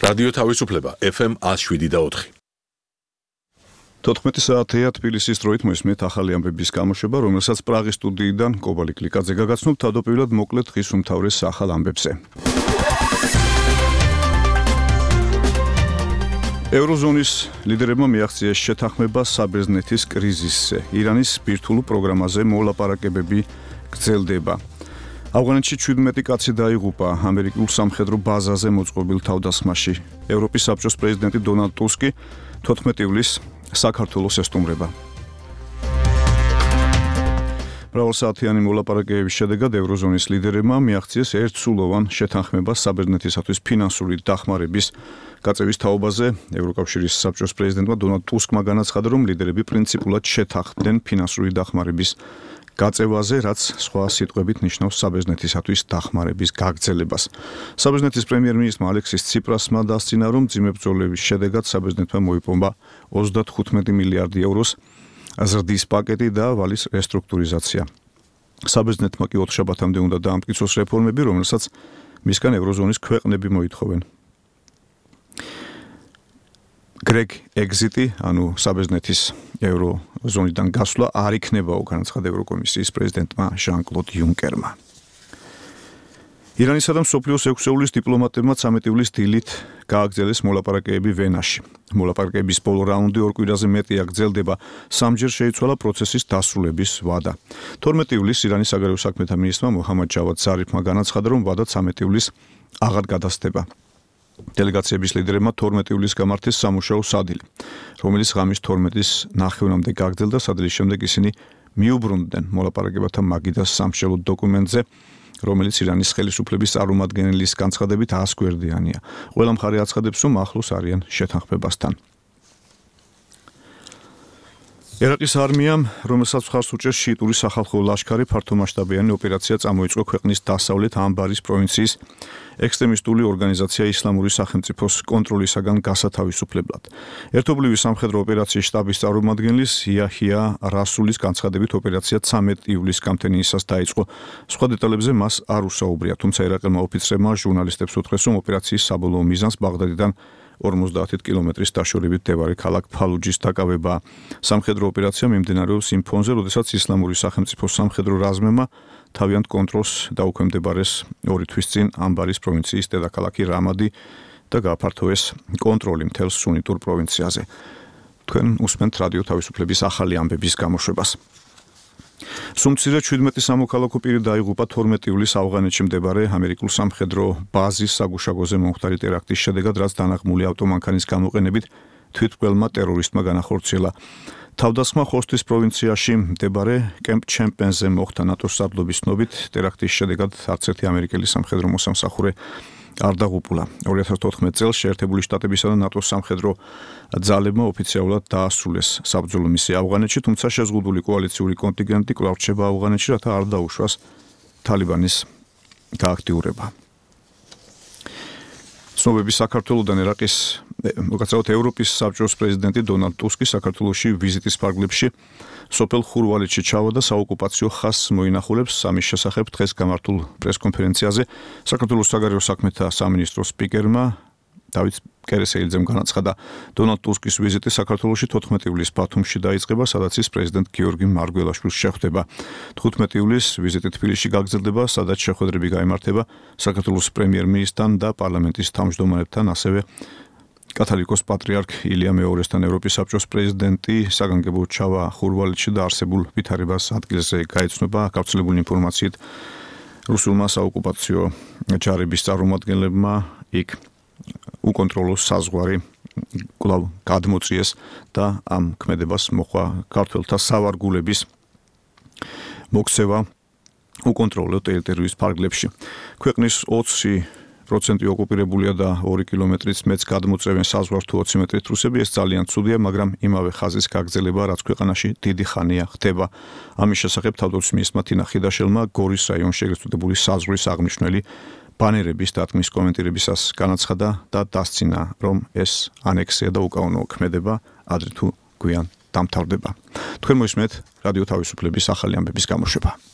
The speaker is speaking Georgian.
რადიო თავისუფლება FM 107.4. 14 საათია თბილისის დროით მოისმენთ ახალი ამბების გამოშვება, რომელსაც პრაღის სტუდიიდან კობალი კლიკაძე გაგაცნობ თავდაპირველად მოკლედ დღის უმთავრეს ახალ ამბებზე. ევროზონის ლიდერებმა მიაღწიეს შეთანხმება საბერძნეთის კრიზისზე. ირანის ბირთვულ პროგრამაზე მოლაპარაკებები გრძელდება. ავღანეთში 17 კაცი დაიღუპა ამერიკულ სამხედრო ბაზაზე მოწყობილ თავდასხმაში. ევროპის საბჭოს პრეზიდენტი დონალდ ტუსკი 14 ივლისს საქართველოს ესტუმრება. მრავალსაათიანი მოლაპარაკებების შედეგად ევროზონის ლიდერებმა მიაღწიეს ერთსულოვან შეთანხმებას საბერძნეთისათვის ფინანსური დახმარების გაწევის თაობაზე. ევროკავშირის საბჭოს პრეზიდენტმა დონალდ ტუსკმა განაცხადა, რომ ლიდერები პრინციპულად შეთანხმდნენ ფინანსური დახმარების გაწევაზე, რაც სხვა სიტყვებით ნიშნავს საბერძნეთისათვის დახმარების გაგრძელებას. საბერძნეთის პრემიერ-მინისტრმა ალექსის ციპრასმა დასცინა, რომ მძიმე ბრძოლების შედეგად საბერძნეთმა მოიპოვა 35 მილიარდი ევროს ზრდის პაკეტი და ვალის რესტრუქტურიზაცია. საბერძნეთმა კი ოთხშაბათამდე უნდა დაამტკიცოს რეფორმები, რომელსაც მისგან ევროზონის ქვეყნები მოითხოვენ. გრეგ ეგზიტი, ანუ საბერძნეთის ევროზონიდან გასვლა არ იქნებაო, განაცხადა ევროკომისიის პრეზიდენტმა ჟან-კლოდ იუნკერმა. ირანისა და მსოფლიოს 6-ეულის დიპლომატებმა 13 ივლისს დილით გააგრძელეს მოლაპარაკებები ვენაში. მოლაპარაკების ბოლო რაუნდი 2 კვირაზე მეტია გრძელდება. სამჯერ შეიცვალა პროცესის დასრულების ვადა. 12 ივლისს ირანის საგარეო საქმეთა მინისტრმა მოჰამად ჯავად ზარიფმა განაცხადა, რომ ვადა 13 ივლისს აღარ გადასდება. დელეგაციების ლიდერებმა 12 ივლისს გამართეს სამუშაო სადილი, რომელიც ღამის 12-ის ნახევრამდე გაგრძელდა. სადილის შემდეგ ისინი მიუბრუნდნენ მოლაპარაკებათა მაგიდას სამშელო დოკუმენტზე, რომელიც ირანის ხელისუფლების წარმომადგენლის განცხადებით 100 გვერდიანია. ყველა მხარე აცხადებს, რომ ახლოს არიან შეთანხმებასთან. ერაყის არმიამ, რომელსაც მხარს უჭერს შიიტური სახალხო ლაშქარი, ფართომასშტაბიანი ოპერაცია წამოიწყო ქვეყნის დასავლეთ ამბარის პროვინციის ექსტრემისტული ორგანიზაცია ისლამური სახელმწიფოს კონტროლისაგან გასათავისუფლებლად. ერთობლივი სამხედრო ოპერაციის შტაბის წარმომადგენლის იაჰია რასულის განცხადებით ოპერაცია 13 ივლისს გამთენიისას დაიწყო. სხვა დეტალებზე მას არ უსაუბრია, თუმცა ერაყელმა ოფიცრებმა ჟურნალისტებს უთხრეს, რომ ოპერაციის საბოლოო მიზანს ბაღდადიდან 50 კილომეტრის დაშორებით მდებარე ქალაქ ფალუჯის დაკავება. სამხედრო ოპერაცია მიმდინარეობს იმ ფონზე, როდესაც ისლამური სახელმწიფოს სამხედრო რაზმებმა თავიანთ კონტროლს დაუქვემდებარეს 2 თვის წინ ამბარის პროვინციის დედაქალაქი რამადი და გააფართოვეს კონტროლი მთელ სუნიტურ პროვინციაზე. თქვენ უსმენთ რადიო თავისუფლების ახალი ამბების გამოშვებას. სუმცირე 17 სამოქალაქო პირი დაიღუპა 12 ივლისს ავღანეთში მდებარე ამერიკულ სამხედრო ბაზის საგუშაგოზე მომხდარი ტერაქტის შედეგად, რაც დანაღმული ავტომანქანის გამოყენებით თვითმკვლელმა ტერორისტმა განახორციელა. თავდასხმა ხოსტის პროვინციაში მდებარე კემპ ჩემპენზე მოხდა ნატოს სარდლობის ცნობით. ტერაქტის შედეგად არც ერთი ამერიკელი სამხედრო მოსამსახურე არ დაღუპულა. 2014 წელს შეერთებული შტატებისა და ნატოს სამხედრო ძალებმა ოფიციალურად დაასრულეს საბრძოლო მისია ავღანეთში, თუმცა შეზღუდული კოალიციური კონტინგენტი კვლავ რჩება ავღანეთში, რათა არ დაუშვას თალიბანის გააქტიურება. ცნობები საქართველოდან ერაყის მოგაცავთ ევროპის საბჭოს პრეზიდენტი დონალდ ტუსკი საქართველოში ვიზიტის ფარგლებში სოფელ ხურვალეთში ჩავარდა საოკუპაციო ხაზს მოინახულებს. ამის შესახებ დღეს გამართულ პრესკონფერენციაზე საქართველოს საგარეო საქმეთა სამინისტროს სპიკერმა დავით კერესელიძემ განაცხადა, დონალდ ტუსკის ვიზიტი საქართველოში 14 ივლისს ბათუმში დაიწყება, სადაც ის პრეზიდენტ გიორგი მარგველაშვილს შეხვდება. 15 ივლისს ვიზიტი თბილისში გაგრძელდება, სადაც შეხვედრები გაიმართება საქართველოს პრემიერ-მინისტრთან და პარლამენტის თავმჯდომარებთან, ასევე კათოლიკოს პატრიარქ ილია მეორესთან. ევროპის საბჭოს პრეზიდენტი საგანგებო ჩავა ხურვალეთში და არსებულ ვითარებას ადგილზე გაეცნობა. გავრცელებული ინფორმაციით რუსულმა საოკუპაციო ჯარების წარმომადგენლებმა იქ უკონტროლო საზღვარი კვლავ გადმოწიეს და ამ ქმედებას მოხვა ქართველთა სავარგულების მოქცევა უკონტროლო ტერიტორიის ფარგლებში. ქვეყნის 20% ოკუპირებულია და 2 კილომეტრით მეც გადმოწევენ საზღვარს თუ 20 მეტრით რუსები. ეს ძალიან ცუდია, მაგრამ იმავე ხაზის გაგრძელება, რაც ქვეყანაში დიდი ხანია ხდება. ამის შესახებ თავდაცვის მინისტრმა თინა ხიდაშელმა გორის რაიონში ეგრეთ წოდებული საზღვრის აღმნიშვნელი ბანერების დათმის კომენტირებისას განაცხადა და დასცინა, რომ ეს ანექსია და უკანონო ქმედება ადრე თუ გვიან დამთავრდება. თქვენ მოისმენთ რადიო თავისუფლების ახალი ამბების გამოშვება.